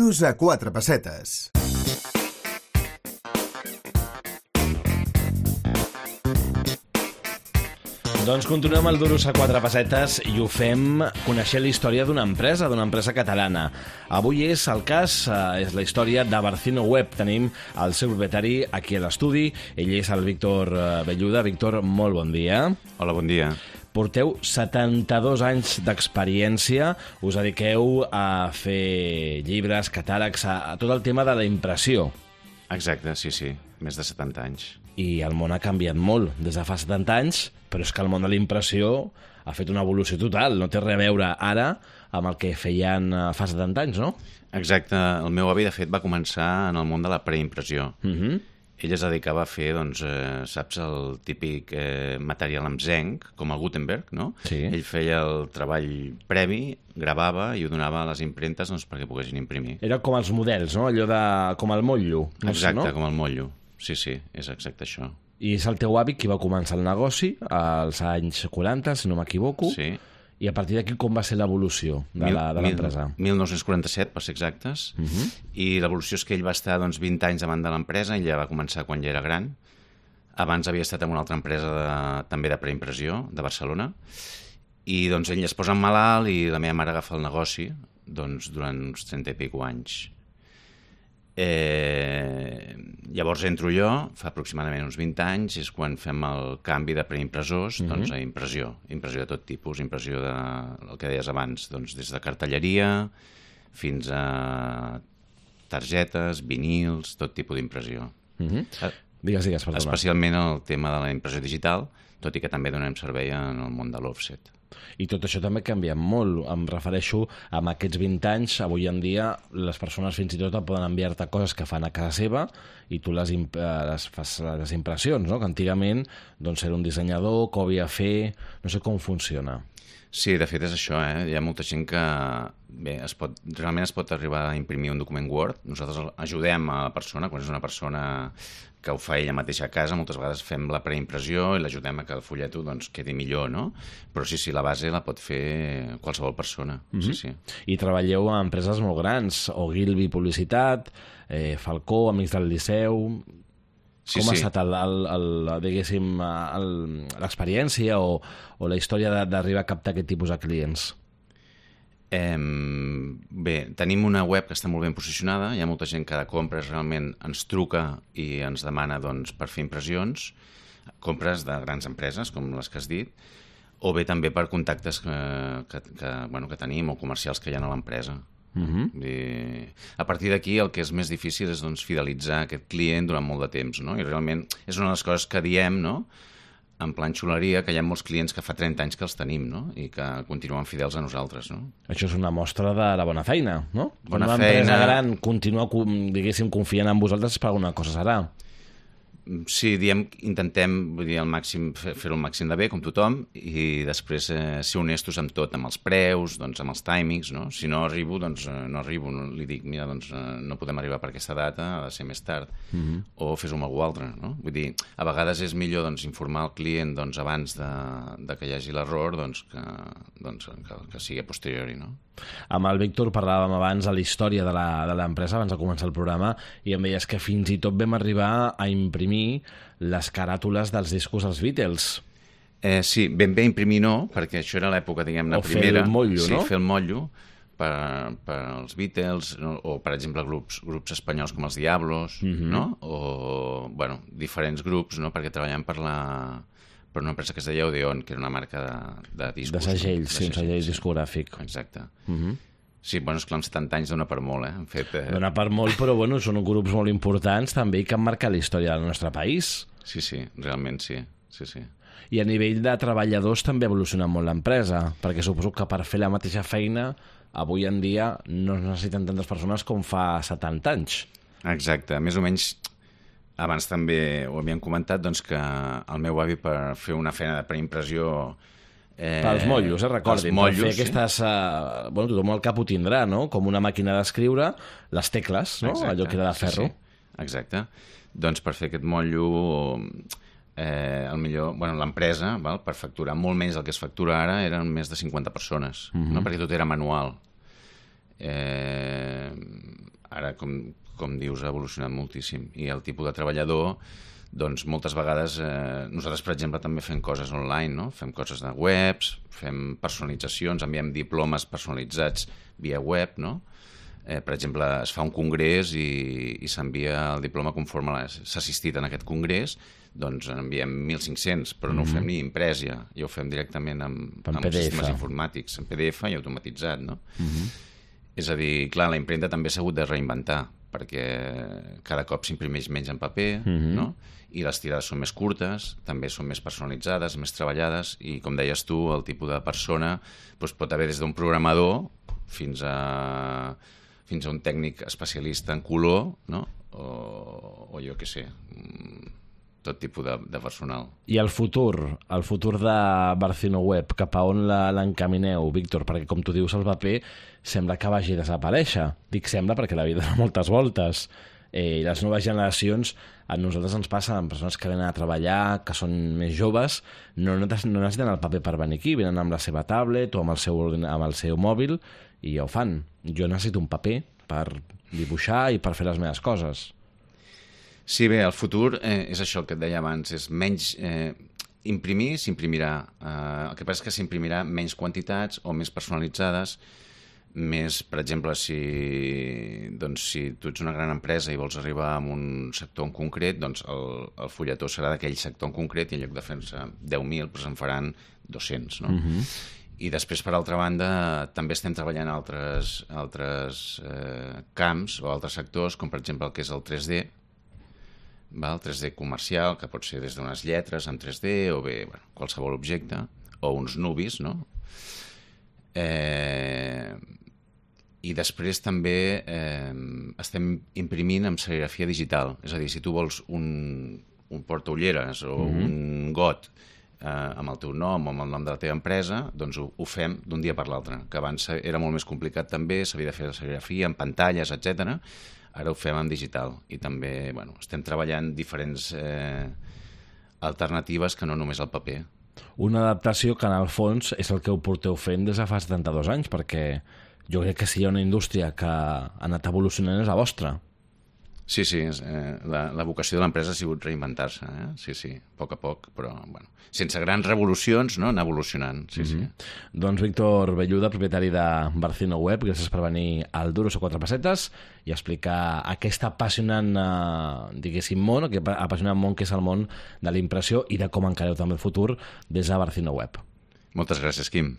Duros a 4 pessetes. Doncs continuem el Duros a 4 pessetes i ho fem coneixent la història d'una empresa catalana. Avui és el cas, és la història de Barcino Web. Tenim el seu propietari aquí a l'estudi. Ell és el Víctor Belluda. Víctor, molt bon dia. Hola, bon dia. Porteu 72 anys d'experiència, us dediqueu a fer llibres, catàlegs, a tot el tema de la impressió. Exacte, sí, més de 70 anys. I el món ha canviat molt des de fa 70 anys, però és que el món de la impressió ha fet una evolució total. No té res a veure ara amb el que feien fa 70 anys, no? Exacte. El meu avi, de fet, va començar en el món de la preimpressió. Ell es dedicava a fer, doncs, saps, el típic material amb zenc, com el Gutenberg, no? Sí. Ell feia el treball previ, gravava i ho donava a les impremtes doncs, perquè poguessin imprimir. Era com els models, no? Allò de... com el motllo. Exacte, no? com el motllo. Sí, és exacte això. I és el teu avi qui va començar el negoci als anys 40, si no m'equivoco. Sí. I a partir d'aquí com va ser l'evolució de l'empresa? 1947, per ser exactes. I l'evolució és que ell va estar 20 anys davant de l'empresa, ell ja va començar quan ja era gran. Abans havia estat en una altra empresa també de preimpressió, de Barcelona. I ell es posa malalt i la meva mare agafa el negoci durant uns 30 i pico anys. Llavors entro jo, fa aproximadament uns 20 anys, és quan fem el canvi de preimpressors a impressió de tot tipus, impressió del que deies abans, des de cartelleria fins a targetes, vinils, tot tipus d'impressió. Digues, perdona. Especialment el tema de la impressió digital, tot i que també donem servei en el món de l'offset. I tot això també ha canviat molt. Em refereixo a aquests 20 anys. Avui en dia les persones fins i tot poden enviar-te coses que fan a casa seva i tu les fas les impressions, no? Que antigament era un dissenyador que ho havia de fer... No sé com funciona. Sí, de fet és això, Hi ha molta gent que... Bé, realment es pot arribar a imprimir un document Word. Nosaltres ajudem a la persona, quan és una persona que ho fa ella mateixa a casa, moltes vegades fem la preimpressió i l'ajudem a que el fulleto quedi millor, no? Però sí, la base la pot fer qualsevol persona. Sí. I treballeu a empreses molt grans, Ogilvy Publicitat, Falcó, Amics del Liceu... Com ha estat l'experiència o la història d'arribar a captar aquest tipus de clients? Bé, tenim una web que està molt ben posicionada, hi ha molta gent que de compres realment ens truca i ens demana per fer impressions, compres de grans empreses, com les que has dit, o bé també per contactes que tenim o comercials que hi ha a l'empresa. A partir d'aquí el que és més difícil és fidelitzar aquest client durant molt de temps, no? I realment és una de les coses que diem, no? En plan xuleria, que hi ha molts clients que fa 30 anys que els tenim, no? I que continuen fidels a nosaltres, no? Això és una mostra de la bona feina, no? Bona feina. Una empresa gran continua, confiant en vosaltres per alguna cosa serà. Sí, intentem al màxim fer-ho al màxim de bé, com tothom, i després ser honestos amb tot, amb els preus, amb els timings, no? Si no arribo, no arribo. Li dic, mira, no podem arribar per aquesta data, ha de ser més tard. O fes-ho amb algú altre, no? Vull dir, a vegades és millor informar el client abans de que hi hagi l'error que sigui a posteriori, no? Amb el Víctor parlàvem abans de la història de l'empresa, abans de començar el programa, i em deies que fins i tot vam arribar a imprimir les caràtules dels discos dels Beatles. Sí, ben bé imprimir no, perquè això era l'època, diguem-ne, primera. O fer el motllo, no? Sí, fer el motllo per als Beatles, o, per exemple, grups espanyols com els Diablos, no? O, diferents grups, no? Perquè treballant per una empresa que es deia Odeon, que era una marca de discos. De segells, sí, un segell discogràfic. Exacte. Sí, esclar, amb 70 anys dona per molt, Han fet... Dona per molt, però són grups molt importants també que han marcat la història del nostre país. Sí, realment sí. I a nivell de treballadors també ha evolucionat molt l'empresa, perquè suposo que per fer la mateixa feina avui en dia no es necessiten tantes persones com fa 70 anys. Exacte, més o menys... Abans també ho havíem comentat, que el meu avi per fer una feina de preimpressió... Pels motllos, recordin. Mollos, per fer aquestes... tothom al cap ho tindrà, no? Com una màquina d'escriure, les tecles, no? Exacte, allò que era de ferro. Sí. Exacte. Per fer aquest motllo, l'empresa, per facturar molt menys del que es factura ara, eren més de 50 persones, no? Perquè tot era manual. com dius, ha evolucionat moltíssim. I el tipus de treballador, doncs moltes vegades nosaltres, per exemple, també fem coses online, no? Fem coses de webs, fem personalitzacions, enviem diplomes personalitzats via web, no? Per exemple, es fa un congrés i s'envia el diploma conforme s'ha assistit en aquest congrés, doncs en enviem 1.500, però no ho fem ni imprès ja ho fem directament amb sistemes informàtics, en PDF i automatitzat, no? És a dir, clar, la impremta també s'ha hagut de reinventar, perquè cada cop s'imprimeix menys en paper, no? I les tirades són més curtes, també són més personalitzades, més treballades, i com deies tu, el tipus de persona pot haver des d'un programador fins a un tècnic especialista en color, no? O jo què sé, tot tipus de personal. I el futur de Barcino Web, cap a on l'encamineu, Víctor? Perquè, com tu dius, el paper sembla que vagi a desaparèixer. Dic sembla perquè la vida dona moltes voltes. I les noves generacions, a nosaltres ens passa amb persones que venen a treballar, que són més joves, no necessiten el paper per venir aquí, venen amb la seva tablet o amb el seu mòbil i ja ho fan. Jo necessito un paper per dibuixar i per fer les meves coses. Sí, bé, el futur és això que et deia abans, és menys... imprimir s'imprimirà. El que passa és que s'imprimirà menys quantitats o més personalitzades, més, per exemple, si tu ets una gran empresa i vols arribar a un sector en concret, doncs el fulletó serà d'aquell sector en concret i en lloc de fer-se 10.000, doncs en faran 200, no? I després, per altra banda, també estem treballant altres camps o altres sectors, com per exemple el que és el 3D, el 3D comercial, que pot ser des d'unes lletres en 3D o bé qualsevol objecte, o uns nubis, no? I després també estem imprimint amb serigrafia digital. És a dir, si tu vols un portaulleres o un got amb el teu nom o amb el nom de la teva empresa, doncs ho fem d'un dia per l'altre, que abans era molt més complicat també, s'havia de fer la serigrafia en pantalles, etc. Ara ho fem en digital i també estem treballant diferents alternatives que no només el paper. Una adaptació que en el fons és el que ho porteu fent des de fa 72 anys, perquè jo crec que si hi ha una indústria que ha anat evolucionant és la vostra. Sí, la vocació de l'empresa ha sigut reinventar-se, sí, a poc, però sense grans revolucions, no? Anar evolucionant, sí. Doncs Víctor Belluda, propietari de Barcino Web, gràcies per venir al Duros a 4 pessetes i explicar aquest apassionant, diguéssim, món, aquest apassionant món que és el món de la impressió i de com encareu també el futur des de Barcino Web. Moltes gràcies, Quim.